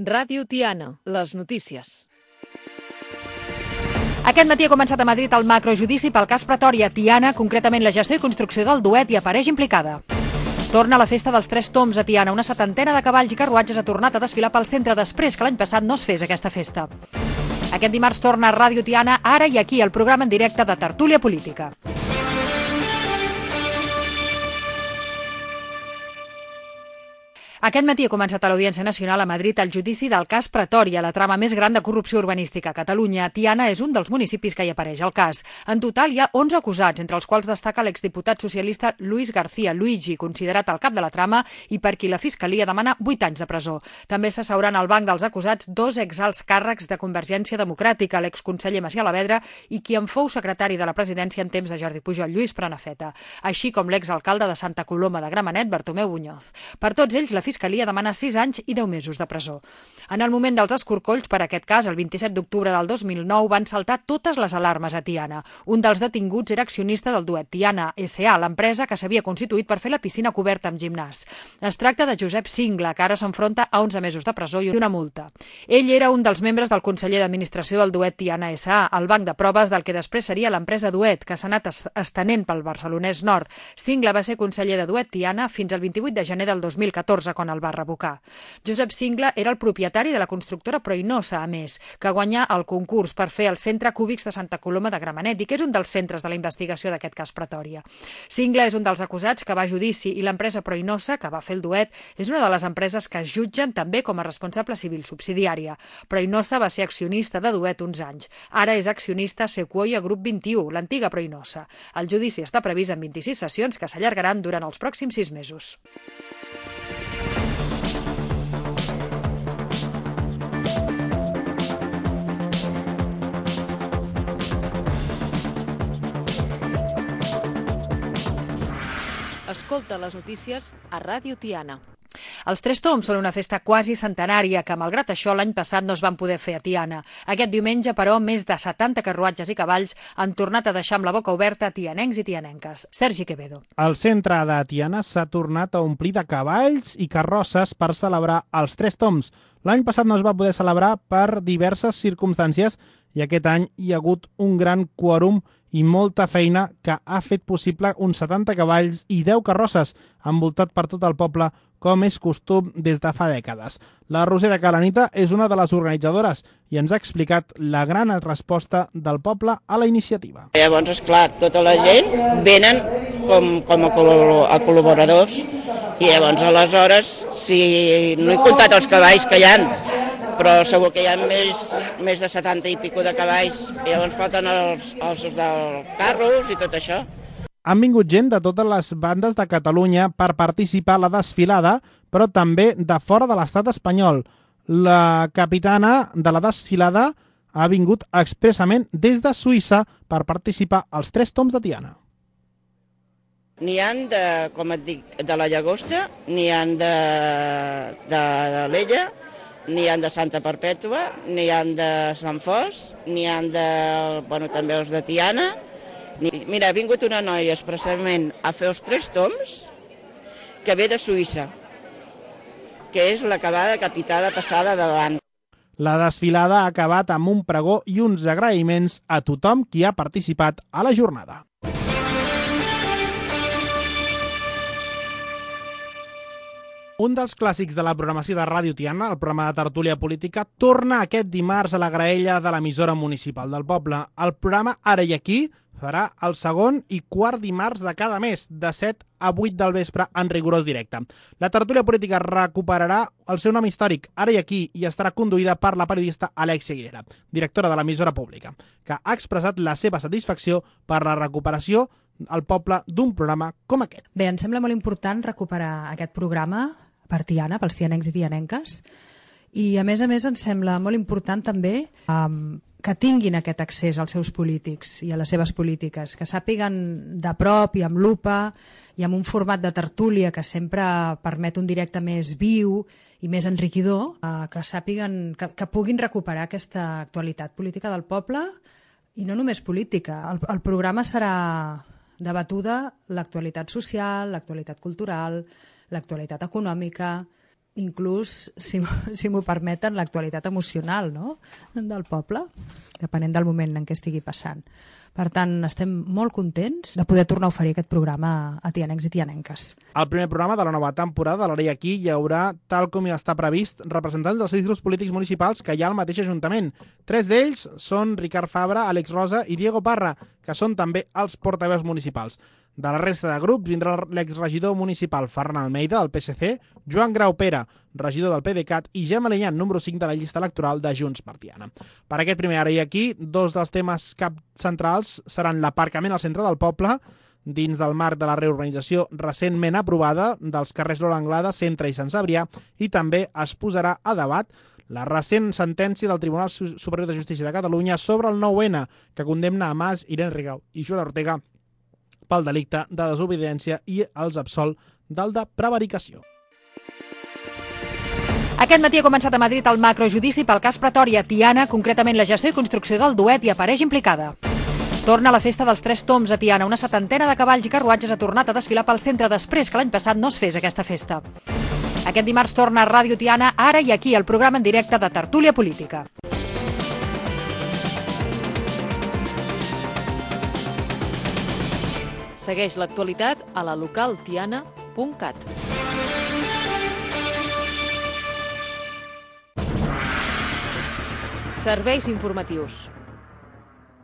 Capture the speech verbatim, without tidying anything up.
Ràdio Tiana, les notícies. Aquest matí ha començat a Madrid el macrojudici pel cas Pretòria. Tiana, concretament la gestió i construcció del duet, hi apareix implicada. Torna la festa dels Tres Tombs a Tiana. Una setantena de cavalls i carruatges ha tornat a desfilar pel centre després que l'any passat no es fes aquesta festa. Aquest dimarts torna a Ràdio Tiana, Ara i Aquí, el programa en directe de Tertúlia Política. Aquest matí ha començat a l'Audiència Nacional a Madrid el judici del cas Pretòria, la trama més gran de corrupció urbanística a Catalunya. Tiana és un dels municipis que hi apareix al cas. En total hi ha onze acusats, entre els quals destaca l'exdiputat socialista Luis García Luigi, considerat el cap de la trama i per qui la Fiscalia demana vuit anys de presó. També s'asseuran al banc dels acusats dos exalts càrrecs de Convergència Democràtica, l'exconseller Macià Lavedra i qui en fou secretari de la presidència en temps de Jordi Pujol, Lluís Prenafeta, així com l'exalcalde de Santa Coloma de Gramenet, Bartomeu Muñoz. Per tots ells, la Fiscalia demana sis anys i deu mesos de presó. En el moment dels escorcolls per aquest cas, el vint-i-set d'octubre del dos mil nou, van saltar totes les alarmes a Tiana. Un dels detinguts era accionista del duet Tiana essa a, l'empresa que s'havia constituït per fer la piscina coberta amb gimnàs. Es tracta de Josep Singla, que ara s'enfronta a onze mesos de presó i una multa. Ell era un dels membres del Conseller d'Administració del duet Tiana essa a, el banc de proves del que després seria l'empresa Duet, que s'ha anat estenent pel Barcelonès Nord. Singla va ser conseller de Duet Tiana fins al vint-i-vuit de gener del dos mil catorze, quan el va revocar. Josep Singla era el propietari de la constructora Proinosa, a més, que guanyà el concurs per fer el centre Cúbics de Santa Coloma de Gramenet i que és un dels centres de la investigació d'aquest cas Pretòria. Singla és un dels acusats que va a judici i l'empresa Proinosa, que va fer el duet, és una de les empreses que es jutgen també com a responsable civil subsidiària. Proinosa va ser accionista de Duet uns anys. Ara és accionista Sequoia Group vint-i-u, l'antiga Proinosa. El judici està previst en vint-i-sis sessions que s'allargaran durant els pròxims sis mesos. Escolta les notícies a Ràdio Tiana. Els Tres Tombs són una festa quasi centenària que, malgrat això, l'any passat no es van poder fer a Tiana. Aquest diumenge, però, més de setanta carruatges i cavalls han tornat a deixar amb la boca oberta a tianencs i tianenques. Sergi Quevedo. El centre de Tiana s'ha tornat a omplir de cavalls i carrosses per celebrar els Tres Tombs. L'any passat no es va poder celebrar per diverses circumstàncies i aquest any hi ha hagut un gran quòrum i molta feina que ha fet possible uns setanta cavalls i deu carrosses, envoltat per tot el poble, com és costum des de fa dècades. La Roser de Calanita és una de les organitzadores i ens ha explicat la gran resposta del poble a la iniciativa. Llavors, esclar, tota la gent venen com, com a, col a col·laboradors i llavors, aleshores, si no he comptat els cavalls que hi ha, però segur que hi ha més, més de setanta i pico de cavalls, i llavors falten els ossos dels carros i tot això. Han vingut gent de totes les bandes de Catalunya per participar a la desfilada, però també de fora de l'estat espanyol. La capitana de la desfilada ha vingut expressament des de Suïssa per participar als Tres Tombs de Tiana. N'hi ha de, com et dic, de la Llagosta, n'hi ha de, de, de l'Ella, n'hi ha de Santa Perpètua, n'hi ha de Sant Fos, n'hi ha de, bueno, també els de Tiana. Mira, ha vingut una noia expressament a fer els Tres Tombs que ve de Suïssa, que és la que va decapitada passada davant. La desfilada ha acabat amb un pregó i uns agraïments a tothom qui ha participat a la jornada. Un dels clàssics de la programació de Ràdio Tiana, el programa de Tertúlia Política, torna aquest dimarts a la graella de l'emissora municipal del poble. El programa Ara i Aquí farà el segon i quart dimarts de cada mes, de set a vuit del vespre, en rigorós directe. La Tertúlia Política recuperarà el seu nom històric, Ara i Aquí, i estarà conduïda per la periodista Alexia Aguilera, directora de l'emissora pública, que ha expressat la seva satisfacció per la recuperació al poble d'un programa com aquest. Bé, em sembla molt important recuperar aquest programa per Tiana, pels tianencs i tianenques, i a més a més em sembla molt important també um, que tinguin aquest accés als seus polítics i a les seves polítiques, que sàpiguen de prop i amb lupa i amb un format de tertúlia que sempre permet un directe més viu i més enriquidor, eh, que sàpiguen, que, que puguin recuperar aquesta actualitat política del poble i no només política. El, el programa serà debatuda l'actualitat social, l'actualitat cultural, l'actualitat econòmica, inclús, si, si m'ho permeten, l'actualitat emocional, no?, del poble, depenent del moment en què estigui passant. Per tant, estem molt contents de poder tornar a oferir aquest programa a tianencs i tianenques. Al primer programa de la nova temporada de l'Ara i Aquí hi haurà, tal com ja està previst, representants dels sis grups polítics municipals que hi ha al mateix Ajuntament. Tres d'ells són Ricard Fabra, Àlex Rosa i Diego Parra, que són també els portaveus municipals. De la resta de grups vindrà l'exregidor municipal Ferran Almeida, del P S C, Joan Grau Pere, regidor del PDeCAT, i Gemma Lenyán, número cinc de la llista electoral de Junts per Tiana. Per aquest primer Ara i Aquí, dos dels temes cap centrals seran l'aparcament al centre del poble, dins del marc de la reorganització recentment aprovada dels carrers Lola Anglada, Centre i Sant Cebrià, i també es posarà a debat la recent sentència del Tribunal Superior de Justícia de Catalunya sobre el nou ene, que condemna a Mas, Irene Rigau i Joan Ortega pel delicte de desobediència i els absol del de prevaricació. Aquest matí ha començat a Madrid el macrojudici pel cas Pretòria. Tiana, concretament la gestió i construcció del duet, hi apareix implicada. Torna la festa dels Tres Tombs a Tiana. Una setantena de cavalls i carruatges ha tornat a desfilar pel centre després que l'any passat no es fes aquesta festa. Aquest dimarts torna a Ràdio Tiana, Ara i Aquí, el programa en directe de Tertúlia Política. Segueix l'actualitat a la local tiana punt cat. Serveis informatius.